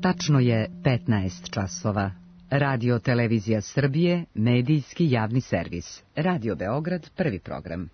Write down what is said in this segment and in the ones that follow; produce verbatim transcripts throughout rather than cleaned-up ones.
Tačno je petnaest časova. Radio Televizija Srbije, medijski javni servis. Radio Beograd, prvi program.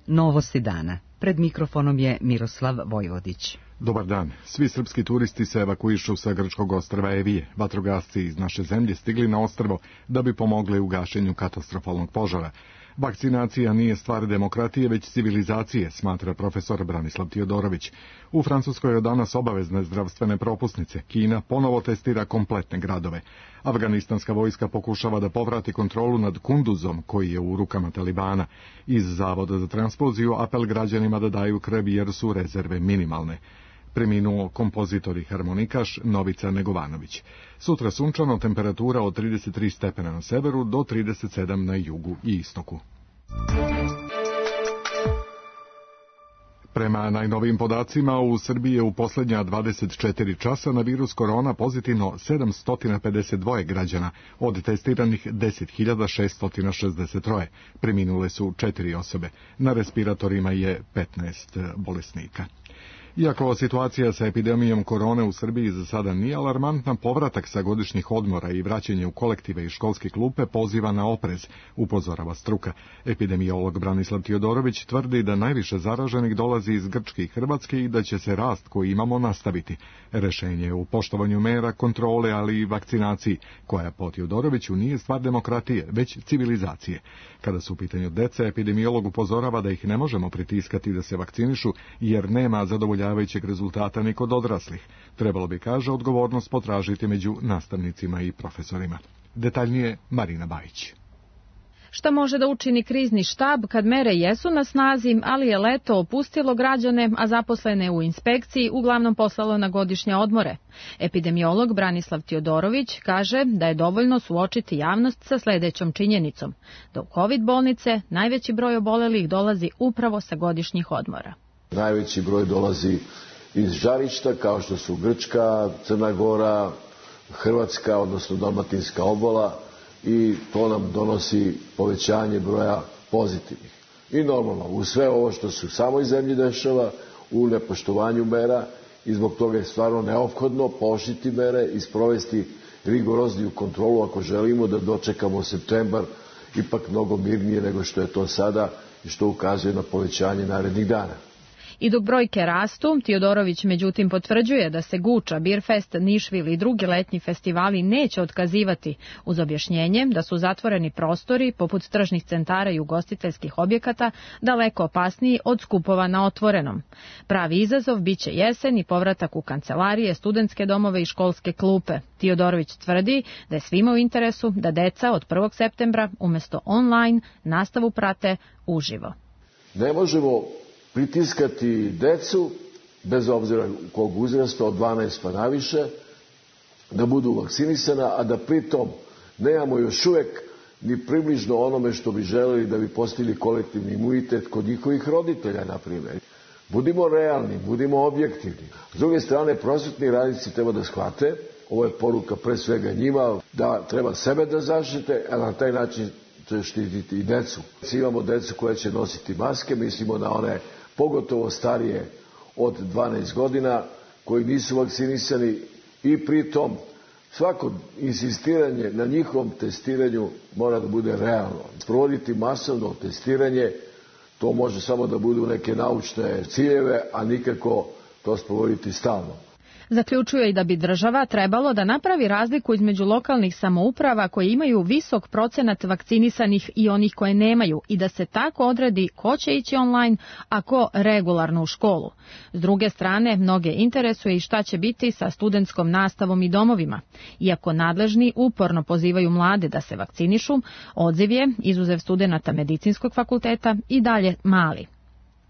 Novosti dana. Pred mikrofonom je Miroslav Vojvodić. Dobar dan. Svi srpski turisti se evakuišu sa grčkog ostrva Evije. Vatrogasci iz naše zemlje stigli na ostrvo da bi pomogli u gašenju katastrofalnog požara. Vakcinacija nije stvar demokratije, već civilizacije, smatra profesor Branislav Tiodorović. U Francuskoj je danas obavezne zdravstvene propusnice. Kina ponovo testira kompletne gradove. Afganistanska vojska pokušava da povrati kontrolu nad Kunduzom, koji je u rukama Talibana. Iz Zavoda za transfuziju apel građanima da daju krv jer su rezerve minimalne. Preminuo kompozitor i harmonikaš Novica Negovanović. Sutra sunčano, temperatura od trideset tri stepena na severu do trideset sedam na jugu i istoku. Prema najnovijim podacima, u Srbiji je u posljednja dvadeset četiri časa na virus korona pozitivno sedamsto pedeset dva građana, od testiranih deset hiljada šeststo šezdeset tri. Preminule su četiri osobe. Na respiratorima je petnaest bolesnika. Iako situacija sa epidemijom korone u Srbiji za sada nije alarmantna, povratak sa godišnjih odmora i vraćanje u kolektive i školske klupe poziva na oprez, upozorava struka. Epidemiolog Branislav Tiodorović tvrdi da najviše zaraženih dolazi iz Grčke i Hrvatske i da će se rast koji imamo nastaviti. Rešenje je u poštovanju mera, kontrole, ali i vakcinaciji, koja po Tiodoroviću nije stvar demokratije, već civilizacije. Kada su u pitanju dece, epidemiolog upozorava da ih ne možemo pritiskati da se vakcinišu, jer nema zadovoljavanja većeg rezultata ni kod odraslih. Trebalo bi, kaže, odgovornost potražiti među nastavnicima i profesorima. Detaljnije Marina Bajić. Šta može da učini krizni štab kad mere jesu na snazi, ali je leto opustilo građane, a zaposlene u inspekciji uglavnom poslalo na godišnje odmore? Epidemiolog Branislav Tiodorović kaže da je dovoljno suočiti javnost sa sledećom činjenicom, da u COVID bolnice najveći broj obolelih dolazi upravo sa godišnjih odmora. Najveći broj dolazi iz žarišta kao što su Grčka, Crna Gora, Hrvatska, odnosno Dalmatinska obola, i to nam donosi povećanje broja pozitivnih. I normalno, u sve ovo što se u samoj zemlji dešava, u nepoštovanju mera, i zbog toga je stvarno neophodno pooštriti mere i sprovesti rigorozniju kontrolu ako želimo da dočekamo septembar ipak mnogo mirnije nego što je to sada i što ukazuje na povećanje narednih dana. I dok brojke rastu, Tiodorović međutim potvrđuje da se Guča, Birfest, Nišvil i drugi letnji festivali neće otkazivati, uz objašnjenje da su zatvoreni prostori, poput tržnih centara i ugostiteljskih objekata, daleko opasniji od skupova na otvorenom. Pravi izazov biće jesen i povratak u kancelarije, studentske domove i školske klupe. Tiodorović tvrdi da je svima u interesu da deca od prvog septembra umjesto online nastavu prate uživo. Ne možemo pritiskati decu, bez obzira kog uzrasta, od dvanaest pa naviše, da budu vakcinisana, a da pritom nemamo još uvek ni približno onome što bi želeli da bi postigli kolektivni imunitet kod njihovih roditelja, na primjer. Budimo realni, budimo objektivni. S druge strane, prosvetni radnici treba da shvate, ovo je poruka pre svega njima, da treba sebe da zaštite, a na taj način će štititi i decu. Imamo decu koja će nositi maske, mislimo na one pogotovo starije od dvanaest godina, koji nisu vakcinisani, i pritom svako insistiranje na njihovom testiranju mora da bude realno. Sprovoditi masovno testiranje, to može samo da budu neke naučne ciljeve, a nikako to sprovoditi stalno. Zaključuje i da bi država trebalo da napravi razliku između lokalnih samouprava koje imaju visok procenat vakcinisanih i onih koje nemaju i da se tako odredi ko će ići online, a ko regularno u školu. S druge strane, mnoge interesuje i šta će biti sa studentskom nastavom i domovima. Iako nadležni uporno pozivaju mlade da se vakcinišu, odziv je, izuzev studenata medicinskog fakulteta, i dalje mali.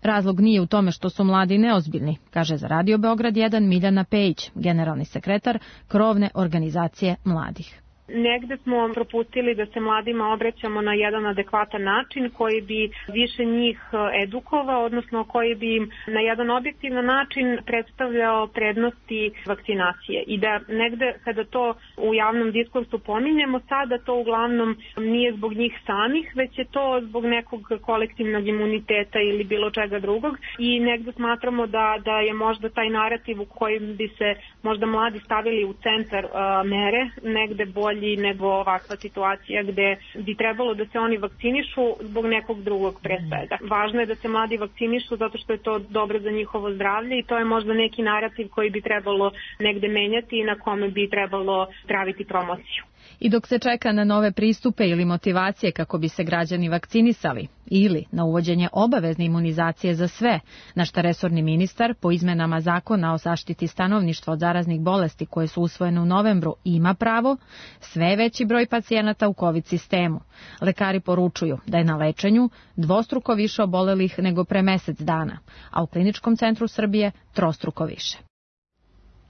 Razlog nije u tome što su mladi neozbiljni, kaže za Radio Beograd jedan Miljana Pejić, generalni sekretar krovne organizacije mladih. Negde smo propustili da se mladima obraćamo na jedan adekvatan način koji bi više njih edukovao, odnosno koji bi im na jedan objektivan način predstavljao prednosti vakcinacije. I da negde kada to u javnom diskursu pominjemo sada, to uglavnom nije zbog njih samih, već je to zbog nekog kolektivnog imuniteta ili bilo čega drugog. I negde smatramo da, da je možda taj narativ u kojem bi se možda mladi stavili u centar uh, mere negde bolji nego ovakva situacija gde bi trebalo da se oni vakcinišu zbog nekog drugog pre svega. Važno je da se mladi vakcinišu zato što je to dobro za njihovo zdravlje i to je možda neki narativ koji bi trebalo negde menjati i na kome bi trebalo praviti promociju. I dok se čeka na nove pristupe ili motivacije kako bi se građani vakcinisali ili na uvođenje obavezne imunizacije za sve, na šta resorni ministar po izmenama zakona o zaštiti stanovništva od zaraznih bolesti koje su usvojene u novembru ima pravo, sve veći broj pacijenata u COVID sistemu. Lekari poručuju da je na lečenju dvostruko više obolelih nego pre mesec dana, a u Kliničkom centru Srbije trostruko više.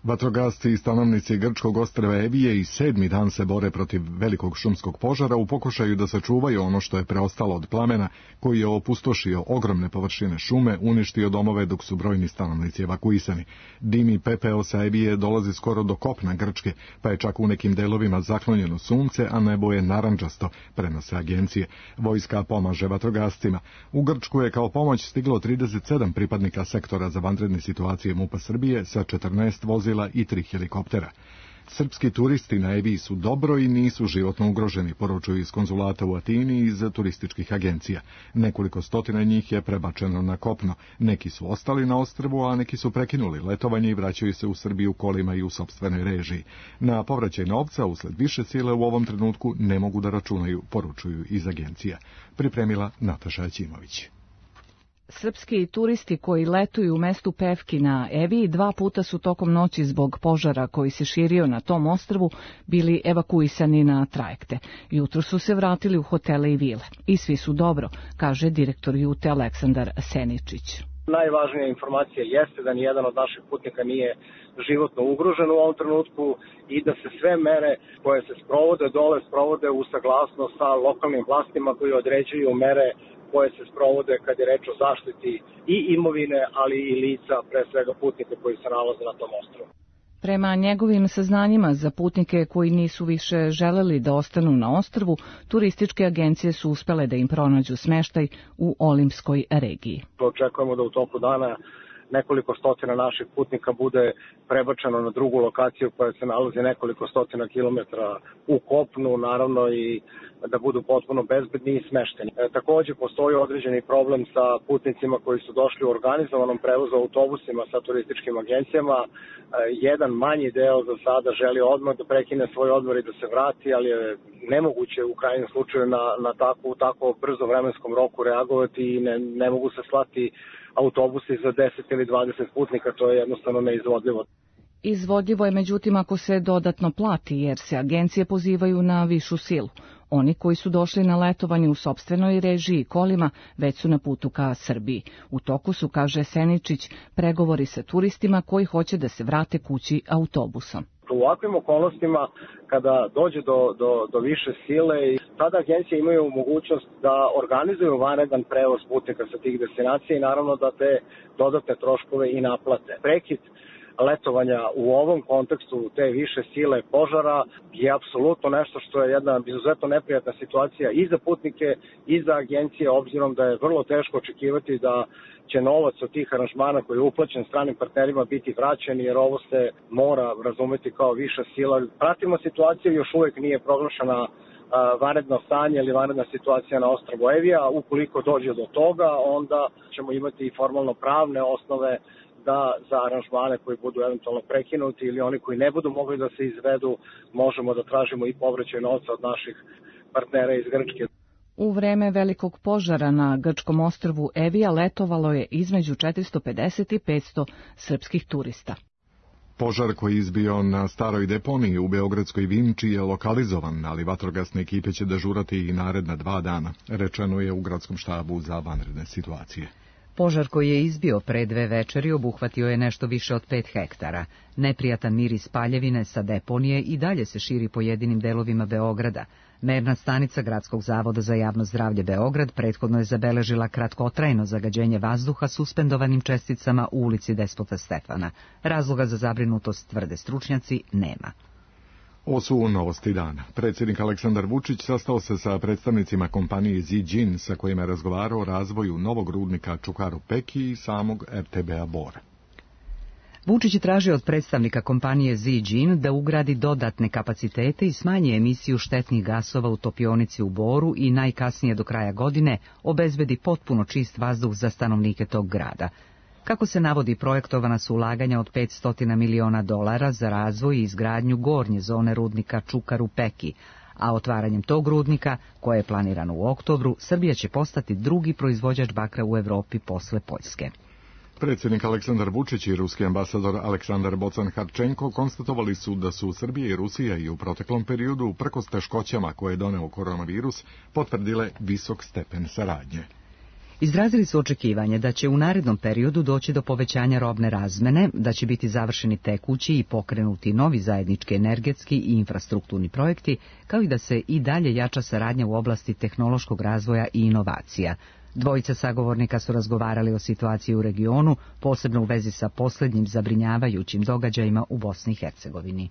Vatrogasci i stanovnici grčkog ostrva Evije i sedmi dan se bore protiv velikog šumskog požara u pokušaju da sačuvaju ono što je preostalo od plamena koji je opustošio ogromne površine šume, uništio domove dok su brojni stanovnici evakuisani. Dim i pepeo sa Evije dolazi skoro do kopna Grčke, pa je čak u nekim delovima zaklonjeno sunce, a nebo je narandžasto, prenose agencije. Vojska pomaže vatrogascima. U Grčku je kao pomoć stiglo trideset sedam pripadnika sektora za vanredne situacije MUP-a Srbije sa četrnaest vozila i tri helikoptera. Srpski turisti na Eviji su dobro i nisu životno ugroženi, poručuju iz konzulata u Atini i iz turističkih agencija. Nekoliko stotina njih je prebačeno na kopno. Neki su ostali na ostrvu, a neki su prekinuli letovanje i vraćaju se u Srbiju kolima i u sopstvenoj režiji. Na povraćaj novca usled više sile u ovom trenutku ne mogu da računaju, poručuju iz agencija. Pripremila Nataša Aćimović. Srpski turisti koji letuju u mestu Pevki na Eviji dva puta su tokom noći zbog požara koji se širio na tom ostrvu bili evakuisani na trajekte. Jutro su se vratili u hotele i vile. I svi su dobro, kaže direktor Jute Aleksandar Seničić. Najvažnija informacija jeste da nijedan od naših putnika nije životno ugrožen u ovom trenutku i da se sve mere koje se sprovode dole sprovode u saglasnost sa lokalnim vlastima koji određuju mere koje se sprovode kad je reč o zaštiti i imovine, ali i lica, pre svega putnika koji se nalaze na tom ostrvu. Prema njegovim saznanjima za putnike koji nisu više želeli da ostanu na ostrvu, turističke agencije su uspele da im pronađu smeštaj u Olimskoj regiji. Očekujemo da u toku dana nekoliko stotina naših putnika bude prebačeno na drugu lokaciju koja se nalazi nekoliko stotina kilometara u kopnu, naravno i da budu potpuno bezbedni i smešteni. E, takođe postoji određeni problem sa putnicima koji su došli u organizovanom prevozu autobusima sa turističkim agencijama. E, jedan manji deo za sada želi odmah da prekine svoj odmor i da se vrati, ali je nemoguće u krajnjem slučaju na, na tako, tako brzo vremenskom roku reagovati i ne, ne mogu se slati autobusi za deset ili dvadeset putnika, to je jednostavno neizvodljivo. Izvodljivo je međutim ako se dodatno plati, jer se agencije pozivaju na višu silu. Oni koji su došli na letovanje u sopstvenoj režiji kolima već su na putu ka Srbiji. U toku su, kaže Seničić, pregovori sa turistima koji hoće da se vrate kući autobusom. U ovakvim okolnostima, kada dođe do, do, do više sile, tada agencije imaju mogućnost da organizuju vanredan prevoz putnika sa tih destinacija i naravno da te dodatne troškove i naplate. Prekid letovanja u ovom kontekstu te više sile požara je apsolutno nešto što je jedna izuzetno neprijatna situacija i za putnike i za agencije, obzirom da je vrlo teško očekivati da će novac od tih aranžmana koji je uplaćen stranim partnerima biti vraćen, jer ovo se mora razumeti kao viša sila. Pratimo situaciju, još uvijek nije proglašena vanredno stanje ili vanredna situacija na ostrvu Evija. Ukoliko dođe do toga, onda ćemo imati i formalno pravne osnove da za aranžmane koji budu eventualno prekinuti ili oni koji ne budu mogli da se izvedu, možemo da tražimo i povraćaj novca od naših partnera iz Grčke. U vreme velikog požara na grčkom ostrvu Evija letovalo je između četiristo pedeset i petsto srpskih turista. Požar koji je izbio na staroj deponiji u beogradskoj Vinči je lokalizovan, ali vatrogasne ekipe će dežurati i naredna dva dana, rečeno je u gradskom štabu za vanredne situacije. Požar koji je izbio pre dve večeri obuhvatio je nešto više od pet hektara. Neprijatan miris paljevine sa deponije i dalje se širi pojedinim delovima Beograda. Merna stanica Gradskog zavoda za javno zdravlje Beograd prethodno je zabeležila kratkotrajno zagađenje vazduha suspendovanim česticama u ulici Despota Stefana. Razloga za zabrinutost, tvrde stručnjaci, nema. Ovo su novosti dana. Predsjednik Aleksandar Vučić sastao se sa predstavnicima kompanije Ziđin sa kojima je razgovarao o razvoju novog rudnika Čukaru Peki i samog er te be-a Bor. Vučić je tražio od predstavnika kompanije Ziđin da ugradi dodatne kapacitete i smanji emisiju štetnih gasova u topionici u Boru i najkasnije do kraja godine obezbedi potpuno čist vazduh za stanovnike tog grada. Kako se navodi, projektovana su ulaganja od petsto miliona dolara za razvoj i izgradnju gornje zone rudnika Čukaru Peki, a otvaranjem tog rudnika, koje je planirano u oktobru, Srbija će postati drugi proizvođač bakra u Evropi posle Poljske. Predsjednik Aleksandar Vučić i ruski ambasador Aleksandar Bocan-Harčenko konstatovali su da su Srbija i Rusija i u proteklom periodu, uprkos teškoćama koje je doneo koronavirus, potvrdile visok stepen saradnje. Izrazili su očekivanje da će u narednom periodu doći do povećanja robne razmene, da će biti završeni tekući i pokrenuti novi zajednički energetski i infrastrukturni projekti, kao i da se i dalje jača saradnja u oblasti tehnološkog razvoja i inovacija. Dvojica sagovornika su razgovarali o situaciji u regionu, posebno u vezi sa posljednjim zabrinjavajućim događajima u Bosni i Hercegovini.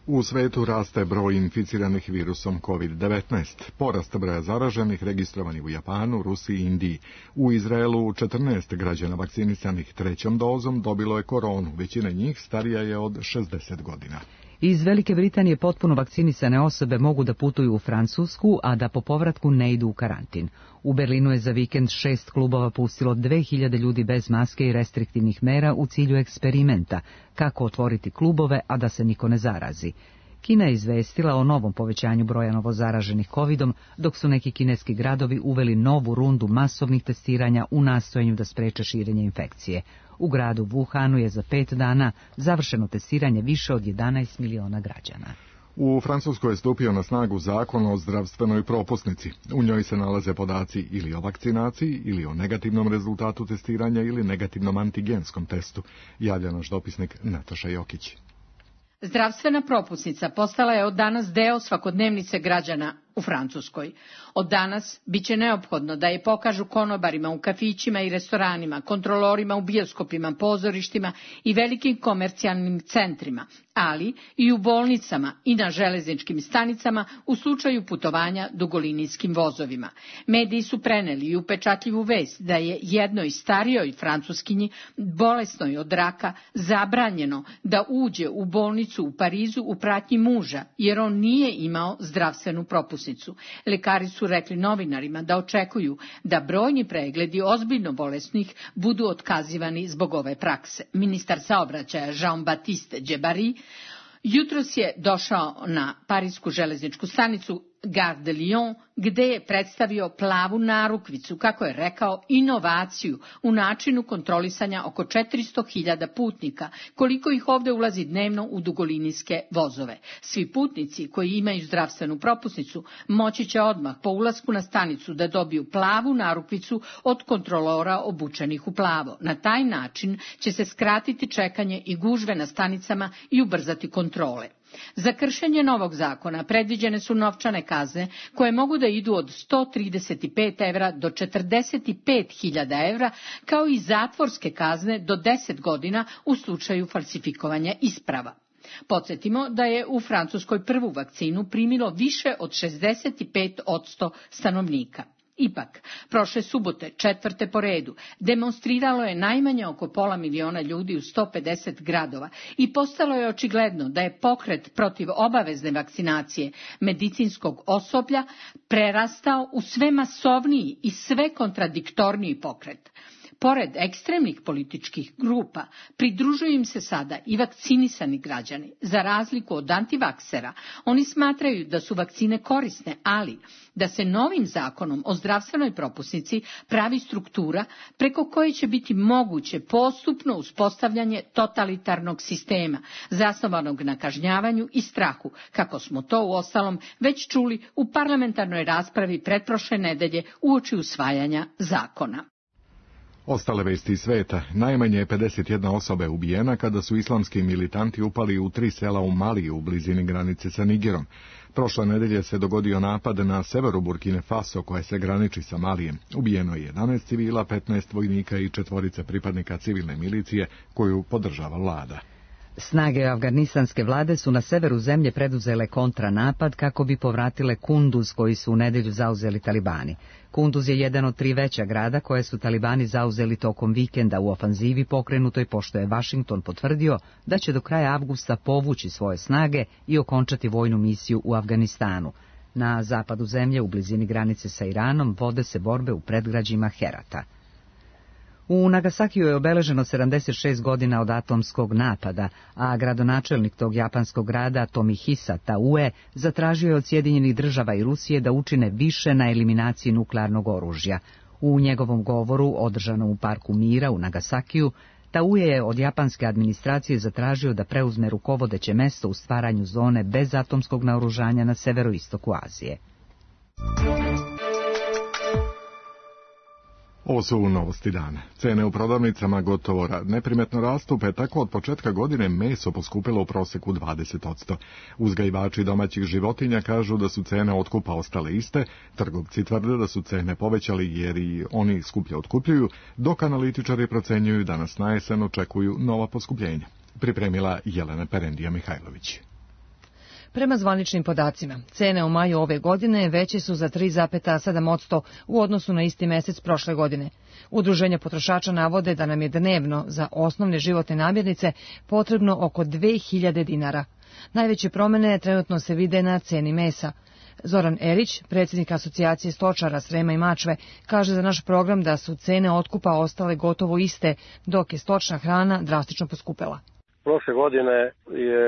U svetu raste broj inficiranih virusom kovid devetnaest. Porast broja zaraženih registrovanih u Japanu, Rusiji i Indiji. U Izraelu četrnaest građana vakcinisanih trećom dozom dobilo je koronu. Većina njih starija je od šezdeset godina. Iz Velike Britanije potpuno vakcinisane osobe mogu da putuju u Francusku, a da po povratku ne idu u karantin. U Berlinu je za vikend šest klubova pustilo dve hiljade ljudi bez maske i restriktivnih mera u cilju eksperimenta, kako otvoriti klubove, a da se niko ne zarazi. Kina je izvestila o novom povećanju broja novozaraženih kovidom, dok su neki kineski gradovi uveli novu rundu masovnih testiranja u nastojanju da spreče širenje infekcije. U gradu Wuhanu je za pet dana završeno testiranje više od jedanaest miliona građana. U Francuskoj je stupio na snagu zakon o zdravstvenoj propusnici. U njoj se nalaze podaci ili o vakcinaciji, ili o negativnom rezultatu testiranja, ili negativnom antigenskom testu, javlja naš dopisnik Nataša Jokić. Zdravstvena propusnica postala je od danas deo svakodnevnice građana u Francuskoj. Od danas biće neophodno da je pokažu konobarima u kafićima i restoranima, kontrolorima u bioskopima, pozorištima i velikim komercijalnim centrima, ali i u bolnicama i na železničkim stanicama u slučaju putovanja dugolinijskim vozovima. Mediji su preneli i upečatljivu vest da je jednoj starijoj Francuskinji, bolesnoj od raka, zabranjeno da uđe u bolnicu u Parizu u pratnji muža, jer on nije imao zdravstvenu propusnicu. Lekari su rekli novinarima da očekuju da brojni pregledi ozbiljno bolesnih budu otkazivani zbog ove prakse. Ministar saobraćaja Jean-Baptiste Djebari jutros je došao na parisku železničku stanicu Gare de Lyon, gde je predstavio plavu narukvicu, kako je rekao, inovaciju u načinu kontrolisanja oko četiristo hiljada putnika, koliko ih ovde ulazi dnevno u dugolinijske vozove. Svi putnici koji imaju zdravstvenu propusnicu moći će odmah po ulasku na stanicu da dobiju plavu narukvicu od kontrolora obučenih u plavo. Na taj način će se skratiti čekanje i gužve na stanicama i ubrzati kontrole. Za kršenje novog zakona predviđene su novčane kazne koje mogu da idu od sto trideset pet evra do četrdeset pet hiljada evra, kao i zatvorske kazne do deset godina u slučaju falsifikovanja isprava. Podsjetimo da je u Francuskoj prvu vakcinu primilo više od šezdeset pet posto stanovnika. Ipak, prošle subote, četvrte po redu, demonstriralo je najmanje oko pola miliona ljudi u sto pedeset gradova i postalo je očigledno da je pokret protiv obavezne vakcinacije medicinskog osoblja prerastao u sve masovniji i sve kontradiktorniji pokret. Pored ekstremnih političkih grupa, pridružuju im se sada i vakcinisani građani. Za razliku od antivaksera, oni smatraju da su vakcine korisne, ali da se novim zakonom o zdravstvenoj propusnici pravi struktura preko koje će biti moguće postupno uspostavljanje totalitarnog sistema, zasnovanog na kažnjavanju i strahu, kako smo to uostalom već čuli u parlamentarnoj raspravi pretprošle nedelje uoči usvajanja zakona. Ostale vesti iz sveta. Najmanje pedeset jedna osoba je ubijena kada su islamski militanti upali u tri sela u Maliju u blizini granice sa Nigerom. Prošle nedelje se dogodio napad na severu Burkine Faso, koja se graniči sa Malijem. Ubijeno je jedanaest civila, petnaest vojnika i četvorica pripadnika civilne milicije koju podržava vlada. Snage afganistanske vlade su na severu zemlje preduzele kontranapad kako bi povratile Kunduz koji su u nedjelju zauzeli talibani. Kunduz je jedan od tri veća grada koje su talibani zauzeli tokom vikenda u ofanzivi pokrenutoj pošto je Washington potvrdio da će do kraja avgusta povući svoje snage i okončati vojnu misiju u Afganistanu. Na zapadu zemlje, u blizini granice sa Iranom, vode se borbe u predgrađima Herata. U Nagasakiju je obeleženo sedamdeset šest godina od atomskog napada, a gradonačelnik tog japanskog grada Tomihisa Taue zatražio je od Sjedinjenih država i Rusije da učine više na eliminaciji nuklearnog oružja. U njegovom govoru, održanom u Parku mira u Nagasakiju, Taue je od japanske administracije zatražio da preuzme rukovodeće mesto u stvaranju zone bez atomskog naoružanja na severoistoku Azije. Ovo su novosti dana. Cene u prodavnicama gotovo neprimetno rastu, pa je tako od početka godine meso poskupilo u proseku dvadeset posto. Uzgajivači domaćih životinja kažu da su cene otkupa ostale iste, trgovci tvrde da su cene povećali jer i oni skuplje otkupljuju, dok analitičari procenjuju da nas na jesen očekuju nova poskupljenja. Pripremila Jelena Perendija Mihajlović. Prema zvaničnim podacima, cene u maju ove godine veće su za tri zarez sedam posto u odnosu na isti mesec prošle godine. Udruženja potrošača navode da nam je dnevno za osnovne životne namirnice potrebno oko dve hiljade dinara. Najveće promene trenutno se vide na ceni mesa. Zoran Erić, predsjednik asocijacije stočara Srema i Mačve, kaže za naš program da su cene otkupa ostale gotovo iste, dok je stočna hrana drastično poskupela. Prošle godine je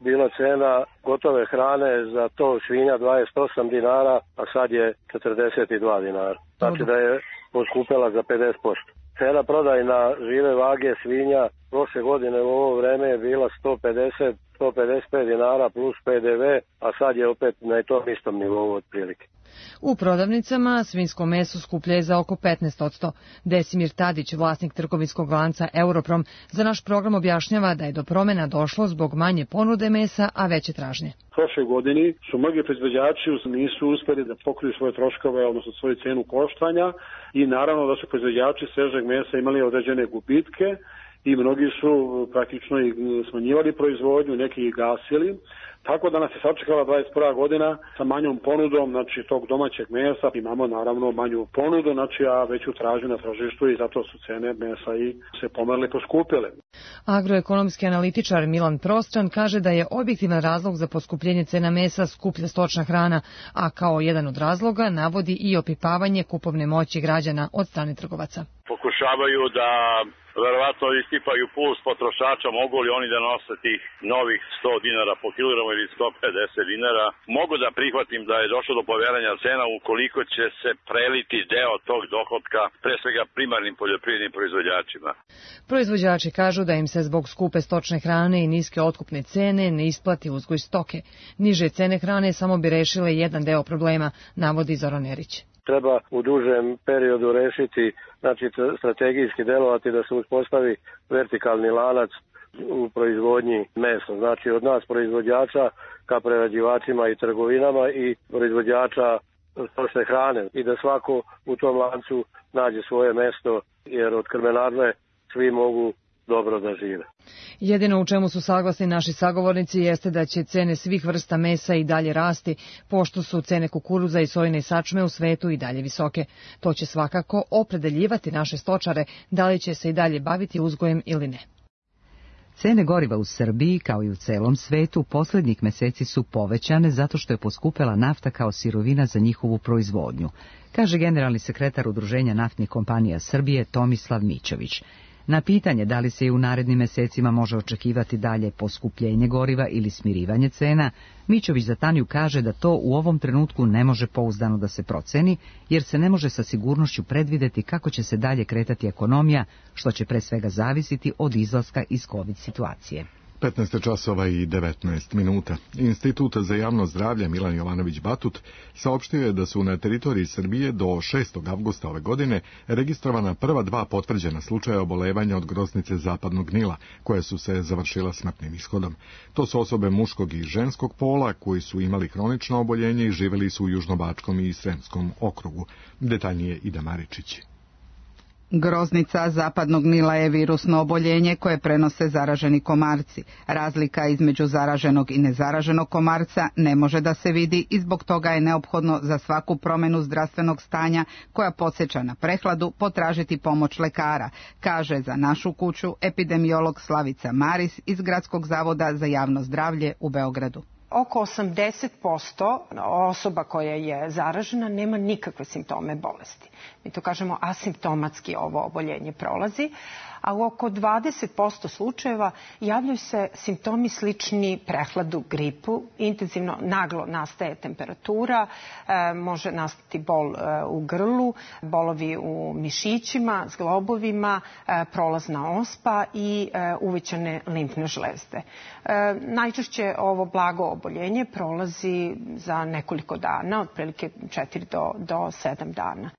bila cena gotove hrane za tov svinja dvadeset osam dinara, a sad je četrdeset dva dinara. Znači da je poskupela za pedeset posto. Cena prodajna žive vage svinja prošle godine u ovo vreme je bila sto pedeset do sto pedeset pet dinara plus P D V, a sad je opet na tom istom nivou otprilike. U prodavnicama svinjsko meso skuplje je za oko petnaest posto. Desimir Tadić, vlasnik trgovinskog lanca Europrom, za naš program objašnjava da je do promjena došlo zbog manje ponude mesa, a veće tražnje. Prošle godini su mnogi proizvođači nisu uspjeli da pokriju svoje troškove, odnosno svoju cenu koštanja, i naravno da su proizvođači svežeg mesa imali određene gubitke i mnogi su praktično i smanjivali proizvodnju, neki i gasili. Tako da nas je sačekala dvadeset prva godina sa manjom ponudom, znači tog domaćeg mesa. Imamo naravno manju ponudu, znači a veću tražnju na tržištu i zato su cene mesa i se pomerle poskupile. Agroekonomski analitičar Milan Prostran kaže da je objektivan razlog za poskupljenje cena mesa skuplja stočna hrana, a kao jedan od razloga navodi i opipavanje kupovne moći građana od strane trgovaca. Pokušavaju da verovatno isipaju puls potrošača, mogu li oni da nose tih novih sto dinara po kilogramu ili sto pedeset dinara. Mogu da prihvatim da je došlo do povećanja cena ukoliko će se preliti deo tog dohotka, pre svega primarnim poljoprivrednim proizvođačima. Proizvođači kažu da im se zbog skupe stočne hrane i niske otkupne cene ne isplati uzgoj stoke. Niže cene hrane samo bi rešile jedan deo problema, navodi Zoran Erić. Treba u dužem periodu rešiti, znači strategijski delovati da se uspostavi vertikalni lanac u proizvodnji mesa. Znači od nas proizvođača ka prerađivačima i trgovinama i proizvođača stočne hrane i da svako u tom lancu nađe svoje mesto, jer od krmenarne svi mogu dobro da žive. Jedino u čemu su saglasni naši sagovornici jeste da će cene svih vrsta mesa i dalje rasti, pošto su cene kukuruza i sojine sačme u svetu i dalje visoke. To će svakako opredeljivati naše stočare da li će se i dalje baviti uzgojem ili ne. Cene goriva u Srbiji, kao i u celom svetu, posljednjih meseci su povećane zato što je poskupela nafta kao sirovina za njihovu proizvodnju, kaže generalni sekretar Udruženja naftnih kompanija Srbije Tomislav Mićović. Na pitanje da li se i u narednim mesecima može očekivati dalje poskupljenje goriva ili smirivanje cena, Mićović za Tanju kaže da to u ovom trenutku ne može pouzdano da se proceni, jer se ne može sa sigurnošću predvideti kako će se dalje kretati ekonomija, što će pre svega zavisiti od izlaska iz COVID situacije. petnaest časova i devetnaest minuta. Institut za javno zdravlje Milan Jovanović Batut saopštio je da su na teritoriji Srbije do šestog avgusta ove godine registrovana prva dva potvrđena slučaja obolevanja od groznice zapadnog Nila, koje su se završila smrtnim ishodom. To su osobe muškog i ženskog pola koji su imali hronično oboljenje i živeli su u Južnobačkom i Sremskom okrugu. Detaljnije Ida Maričić. Groznica zapadnog Nila je virusno oboljenje koje prenose zaraženi komarci. Razlika između zaraženog i nezaraženog komarca ne može da se vidi i zbog toga je neophodno za svaku promenu zdravstvenog stanja koja podsjeća na prehladu potražiti pomoć lekara, kaže za našu kuću epidemiolog Slavica Maris iz Gradskog zavoda za javno zdravlje u Beogradu. Oko osamdeset posto osoba koja je zaražena nema nikakve simptome bolesti. Mi to kažemo asimptomatski ovo oboljenje prolazi, a u oko dvadeset posto slučajeva javljaju se simptomi slični prehladu, gripu, intenzivno naglo nastaje temperatura, e, može nastati bol e, u grlu, bolovi u mišićima, zglobovima, e, prolazna ospa i e, uvećane limfne žlezde. E, najčešće ovo blago oboljenje prolazi za nekoliko dana, otprilike četiri do sedam dana.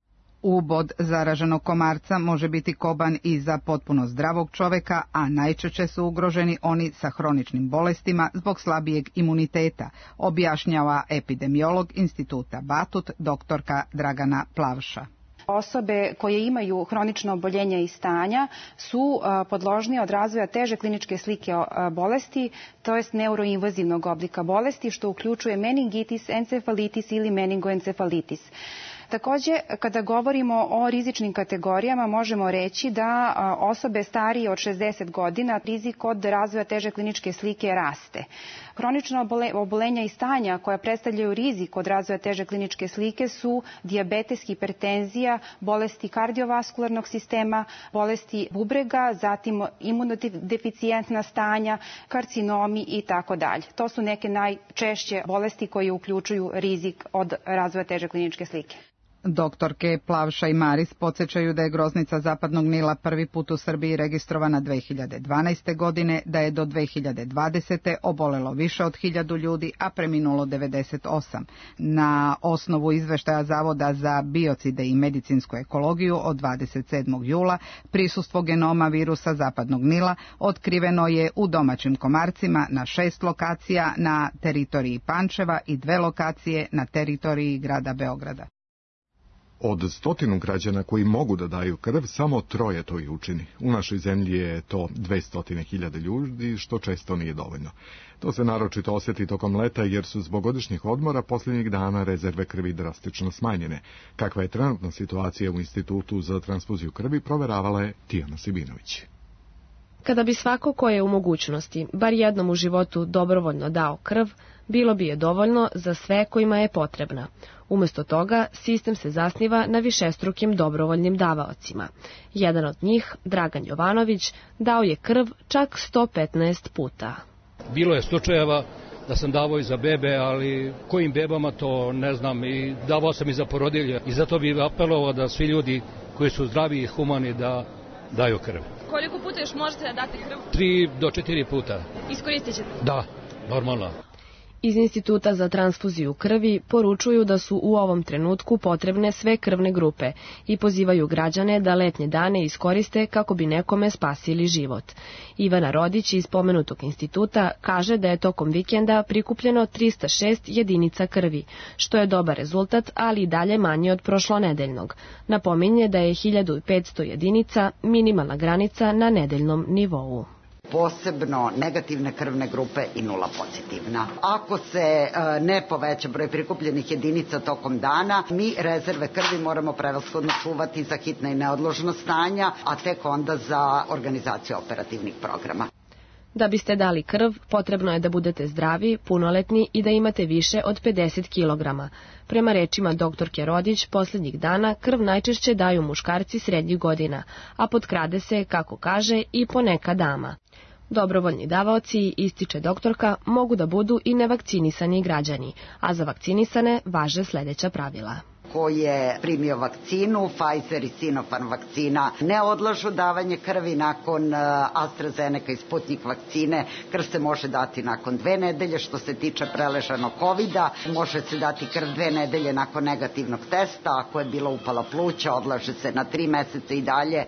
Ubod zaraženog komarca može biti koban i za potpuno zdravog čoveka, a najčešće su ugroženi oni sa hroničnim bolestima zbog slabijeg imuniteta, objašnjava epidemiolog Instituta Batut, doktorka Dragana Plavša. Osobe koje imaju hronično oboljenje i stanja su podložnije od razvoja teže kliničke slike bolesti, to jest neuroinvazivnog oblika bolesti, što uključuje meningitis, encefalitis ili meningoencefalitis. Takođe, kada govorimo o rizičnim kategorijama, možemo reći da osobe starije od šezdeset godina rizik od razvoja teže kliničke slike raste. Hronična obolenja i stanja koja predstavljaju rizik od razvoja teže kliničke slike su dijabetes, hipertenzija, bolesti kardiovaskularnog sistema, bolesti bubrega, zatim imunodeficijentna stanja, karcinomi i tako dalje. To su neke najčešće bolesti koje uključuju rizik od razvoja teže kliničke slike. Doktorke Plavša i Maris podsjećaju da je groznica zapadnog Nila prvi put u Srbiji registrovana dve hiljade dvanaeste. godine, da je do dve hiljade dvadesete. obolelo više od hiljadu ljudi, a preminulo devedeset osam. Na osnovu izveštaja Zavoda za biocide i medicinsku ekologiju od dvadeset sedmog jula prisustvo genoma virusa zapadnog Nila otkriveno je u domaćim komarcima na šest lokacija na teritoriji Pančeva i dve lokacije na teritoriji grada Beograda. Od stotinu građana koji mogu da daju krv, samo troje to i učini. U našoj zemlji je to dvesta hiljada ljudi, što često nije dovoljno. To se naročito osjeti tokom leta, jer su zbog godišnjih odmora posljednjih dana rezerve krvi drastično smanjene. Kakva je trenutna situacija u Institutu za transfuziju krvi, proveravala je Tijana Sibinović. Kada bi svako ko je u mogućnosti, bar jednom u životu dobrovoljno dao krv, bilo bi je dovoljno za sve kojima je potrebna. Umjesto toga, sistem se zasniva na višestrukim dobrovoljnim davaocima. Jedan od njih, Dragan Jovanović, dao je krv čak sto petnaest puta. Bilo je slučajeva da sam davao i za bebe, ali kojim bebama to ne znam, i davao sam i za porodilje. I zato bih apelovao da svi ljudi koji su zdravi i humani da daju krv. Koliko puta još možete da date krv? Tri do četiri puta. Iskoristit ćete? Da, normalno. Iz Instituta za transfuziju krvi poručuju da su u ovom trenutku potrebne sve krvne grupe i pozivaju građane da letnje dane iskoriste kako bi nekome spasili život. Ivana Rodić iz pomenutog instituta kaže da je tokom vikenda prikupljeno trista šest jedinica krvi, što je dobar rezultat, ali i dalje manje od prošlonedeljnog. Napominje da je hiljadu petsto jedinica minimalna granica na nedeljnom nivou. Posebno negativne krvne grupe i nula pozitivna. Ako se ne poveća broj prikupljenih jedinica tokom dana, mi rezerve krvi moramo prevashodno čuvati za hitna i neodložna stanja, a tek onda za organizaciju operativnih programa. Da biste dali krv, potrebno je da budete zdravi, punoletni i da imate više od pedeset kilograma. Prema rečima doktorke Rodić, posljednjih dana krv najčešće daju muškarci srednjih godina, a potkrade se, kako kaže, i poneka dama. Dobrovoljni davaoci, ističe doktorka, mogu da budu i nevakcinisani građani, a za vakcinisane važe sljedeća pravila. koji je primio vakcinu, Pfizer i Sinopharm vakcina ne odlažu davanje krvi nakon AstraZeneca i Sputnik vakcine. Krv se može dati nakon dve nedelje. Što se tiče preležanog kovida, može se dati krv dve nedelje nakon negativnog testa. Ako je bila upala pluća, odlaže se na tri meseca i dalje.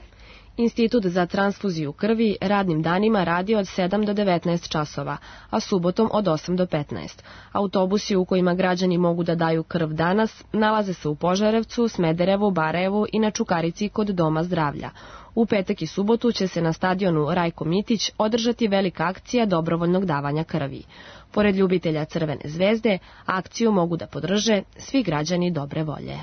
Institut za transfuziju krvi radnim danima radi od sedam do devetnaest časova, a subotom od osam do petnaest. Autobusi u kojima građani mogu da daju krv danas nalaze se u Požarevcu, Smederevu, Barajevu i na Čukarici kod Doma zdravlja. U petak i subotu će se na stadionu Rajko Mitić održati velika akcija dobrovoljnog davanja krvi. Pored ljubitelja Crvene zvezde, akciju mogu da podrže svi građani dobre volje.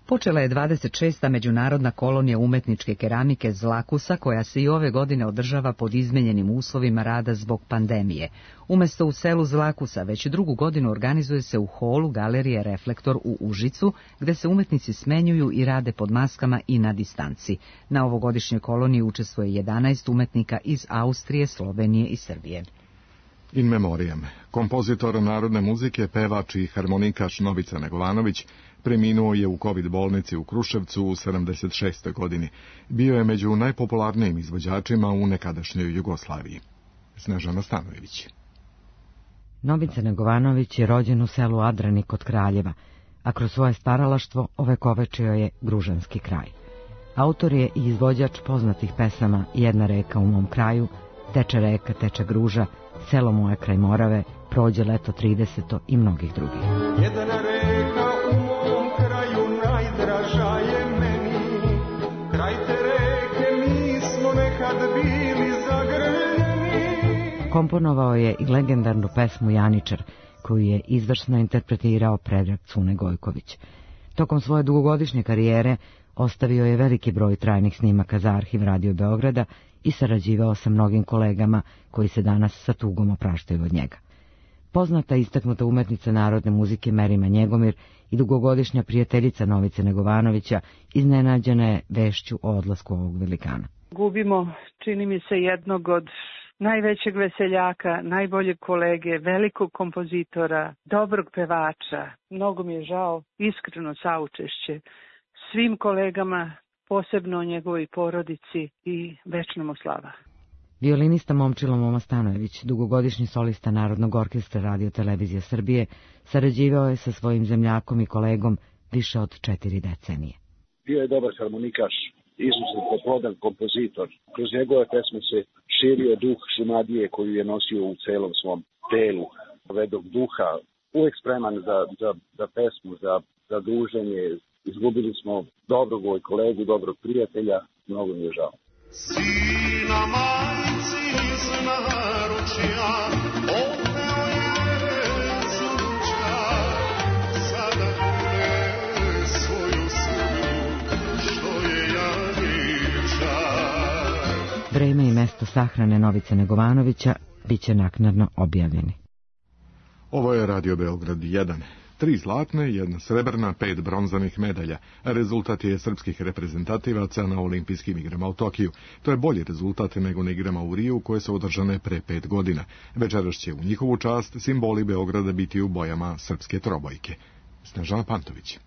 Počela je dvadeset šesta međunarodna kolonija umetničke keramike Zlakusa, koja se i ove godine održava pod izmenjenim uslovima rada zbog pandemije. Umesto u selu Zlakusa, već drugu godinu organizuje se u holu Galerije Reflektor u Užicu, gde se umetnici smenjuju i rade pod maskama i na distanci. Na ovogodišnjoj koloniji učestvuje jedanaest umetnika iz Austrije, Slovenije i Srbije. In memoriam. Kompozitor narodne muzike, pevač i harmonikaš Novica Negovanović preminuo je u kovid bolnici u Kruševcu u sedamdeset šestoj godini. Bio je među najpopularnijim izvođačima u nekadašnjoj Jugoslaviji. Snežana Stanojević. Novica Negovanović je rođen u selu Adrani kod Kraljeva, a kroz svoje staralaštvo ovekovečio je gružanski kraj. Autor je i izvođač poznatih pesama Jedna reka u mom kraju, Teče reka, teče gruža, Selo moje kraj Morave, Prođe leto trideseto i mnogih drugih. Jedna reka u mom kraju najdraža je meni, kraj te reke mi smo nekad bili zagrljeni. Komponovao je i legendarnu pesmu Janičar, koju je izvrsno interpretirao Predrag Cune Gojković. Tokom svoje dugogodišnje karijere ostavio je veliki broj trajnih snimaka za arhiv Radio Beograda i sarađivao sa mnogim kolegama koji se danas sa tugom opraštaju od njega. Poznata istaknuta umetnica narodne muzike Merima Njegomir i dugogodišnja prijateljica Novice Negovanovića iznenađena je vešću o odlasku ovog velikana. Gubimo, čini mi se, jednog od najvećeg veseljaka, najboljeg kolege, velikog kompozitora, dobrog pevača. Mnogo mi je žao, iskreno saučešće svim kolegama, posebno njegovoj porodici i večna mu slava. Violinista Momčilo Moma Stanojević, dugogodišnji solista Narodnog orkestra Radio Televizije Srbije, sarađivao je sa svojim zemljakom i kolegom više od četiri decenije. Bio je dobar harmonikaš, izuzetno plodan kompozitor. Kroz njegove pesme se širio duh Šumadije koju je nosio u celom svom telu, vedog duha, uvek spreman za, za, za pesmu, za, za druženje. Izgubili smo dobrog ovoj kolegu, dobrog prijatelja, mnogo mi je žao. Sina majci iz naručja, opeo je zuča, sada kune svoju sunu, što je Janiča. Vreme i mesto sahrane Novice Negovanovića biće naknadno objavljeni. Ovo je Radio Beograd jedan. Tri zlatne, jedna srebrna, pet bronzanih medalja. Rezultat je srpskih reprezentativaca na olimpijskim igrama u Tokiju. To je bolji rezultat nego na igrama u Riju koje su održane pre pet godina. Večeras će u njihovu čast simboli Beograda biti u bojama srpske trobojke. Snežana Pantović.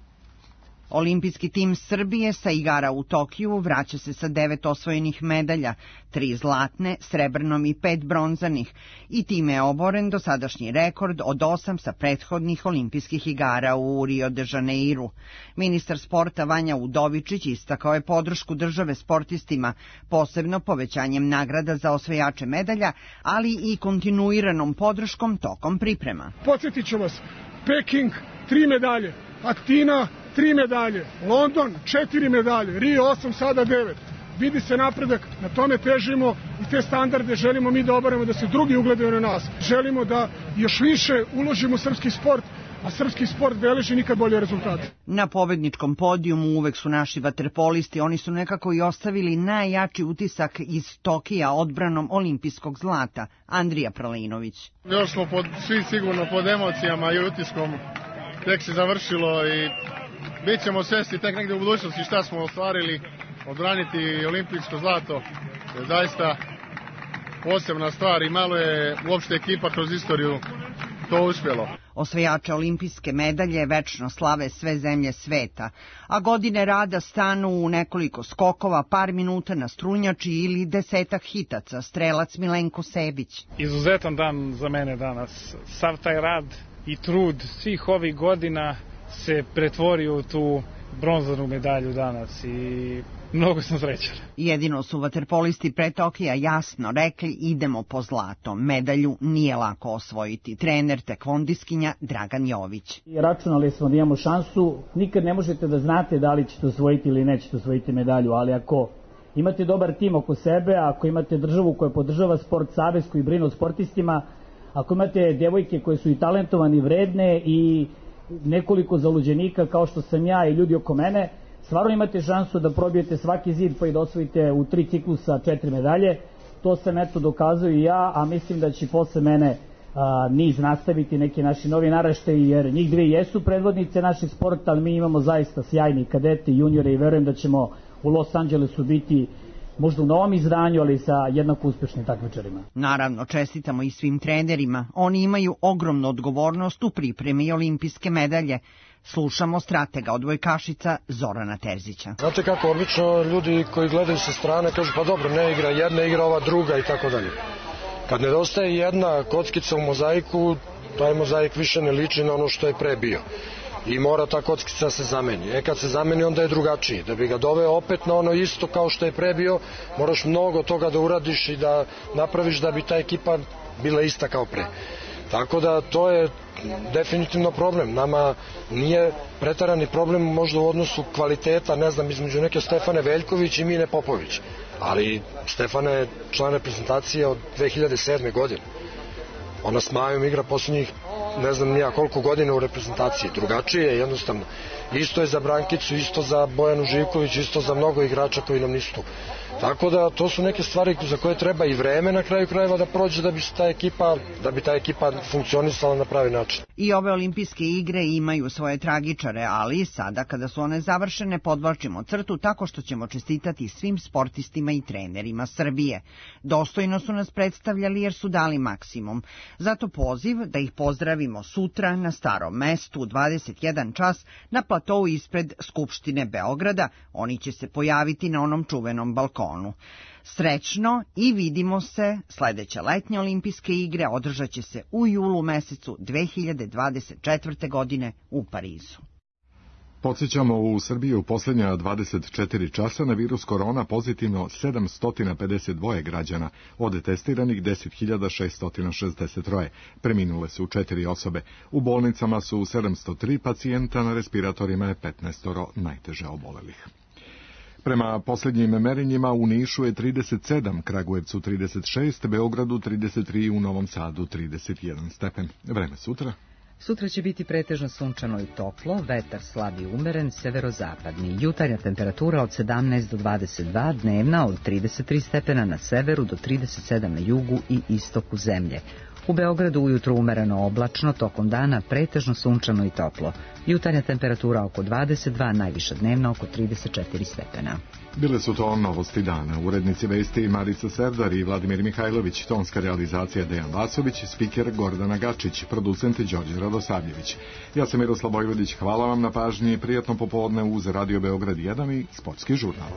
Olimpijski tim Srbije sa igara u Tokiju vraća se sa devet osvojenih medalja, tri zlatne, srebrnom i pet bronzanih, i time je oboren dosadašnji rekord od osam sa prethodnih olimpijskih igara u Rio de Janeiru. Ministar sporta Vanja Udovičić istakao je podršku države sportistima, posebno povećanjem nagrada za osvajače medalja, ali i kontinuiranom podrškom tokom priprema. Podsjetit ću vas, Peking, tri medalje, Atina, tri medalje, London, četiri medalje, Rio osam, sada devet. Vidi se napredak, na tome težimo i te standarde želimo mi da obaramo, da se drugi ugledaju na nas. Želimo da još više uložimo u srpski sport, a srpski sport beleži nikad bolje rezultate. Na pobedničkom podijumu uvek su naši vaterpolisti, oni su nekako i ostavili najjači utisak iz Tokija odbranom olimpijskog zlata. Andrija Pralinović. Još smo pod, svi sigurno pod emocijama i utiskom, tek se završilo i bit ćemo svesni tek negde u budućnosti šta smo ostvarili. Odbraniti olimpijsko zlato je zaista posebna stvar i malo je uopšte ekipa kroz istoriju to uspjelo. Osvajače olimpijske medalje večno slave sve zemlje sveta, a godine rada stanu u nekoliko skokova, par minuta na strunjači ili desetak hitaca, strelac Milenko Sebić. Izuzetan dan za mene danas. Sav taj rad i trud svih ovih godina se pretvorio u tu bronzanu medalju danas i mnogo sam srećan. Jedino su vaterpolisti pre Tokija jasno rekli idemo po zlato. Medalju nije lako osvojiti. Trener tekvondiskinja Dragan Jović. Računali smo da imamo šansu. Nikad ne možete da znate da li ćete osvojiti ili nećete osvojiti medalju, ali ako imate dobar tim oko sebe, ako imate državu koja podržava sport, savez koji brine o sportistima, ako imate devojke koje su i talentovane i vredne i nekoliko zaluđenika kao što sam ja i ljudi oko mene, stvarno imate šansu da probijete svaki zid pa i da osvojite u tri ciklusa četiri medalje. To sam eto dokazao i ja, a mislim da će posle mene a, niz nastaviti neki naši novi naraštaji, jer njih dve jesu predvodnice naših sporta, ali mi imamo zaista sjajni kadete i juniore i verujem da ćemo u Los Angelesu biti možda u novom izdanju, ali sa jednako uspešnim takmičarima. Naravno, čestitamo i svim trenerima. Oni imaju ogromnu odgovornost u pripremi olimpijske medalje. Slušamo stratega odbojkašica Zorana Terzića. Znate kako, obično ljudi koji gledaju sa strane kažu pa dobro, ne igra jedna, igra ova druga i tako dalje. Kad nedostaje jedna kockica u mozaiku, taj mozaik više ne liči na ono što je pre bio. I mora ta kockica se zameni. E kad se zameni onda je drugačiji. Da bi ga doveo opet na ono isto kao što je pre bio, moraš mnogo toga da uradiš i da napraviš da bi ta ekipa bila ista kao pre. Tako da to je definitivno problem. Nama nije pretarani problem možda u odnosu kvaliteta, ne znam, između neke Stefane Veljković i Mine Popović. Ali Stefana je član reprezentacije od dve hiljade sedme. godine. Ona s Majom igra posljednjih ne znam nija koliko godina u reprezentaciji. Drugačije je jednostavno. Isto je za Brankicu, isto za Bojanu Živković, isto za mnogo igrača koji nam nisu tu. Tako da to su neke stvari za koje treba i vreme na kraju krajeva da prođe da bi ta ekipa, da bi ta ekipa funkcionisala na pravi način. I ove olimpijske igre imaju svoje tragičare, ali sada kada su one završene podvlačimo crtu tako što ćemo čestitati svim sportistima i trenerima Srbije. Dostojno su nas predstavljali jer su dali maksimum. Zato poziv da ih pozdravimo sutra na Starom mestu u dvadeset jedan čas na platou ispred Skupštine Beograda. Oni će se pojaviti na onom čuvenom balkonu. Srećno i vidimo se. Sledeće letnje olimpijske igre održat će se u julu mesecu dve hiljade dvadeset četvrte. godine u Parizu. Podsjećamo, u Srbiji u posljednja dvadeset četiri časa na virus korona pozitivno sedamsto pedeset dva građana, od testiranih deset hiljada šeststo šezdeset tri. Preminule su četiri osobe. U bolnicama su sedamsto tri pacijenta, na respiratorima je petnaest najteže obolelih. Prema posljednjim merenjima u Nišu je trideset sedam, Kragujevcu trideset šest, Beogradu trideset tri, u Novom Sadu trideset jedan stepen. Vreme sutra? Sutra će biti pretežno sunčano i toplo, vetar slab i umeren, severozapadni. Jutarnja temperatura od sedamnaest do dvadeset dva, dnevna od trideset tri stepena na severu do trideset sedam na jugu i istoku zemlje. U Beogradu ujutro umereno oblačno, tokom dana pretežno sunčano i toplo. Jutarnja temperatura oko dvadeset dva, najviša dnevna oko trideset četiri stepena. Bile su to novosti dana. Urednici vesti Marica Serdar i Vladimir Mihajlović, tonska realizacija Dejan Vasović, spiker Gordana Gačić, producent Đorđe Radosavljević. Ja sam Miroslav Bojvodić, hvala vam na pažnji, prijatno popodne uz Radio Beograd jedan i Sportski žurnal.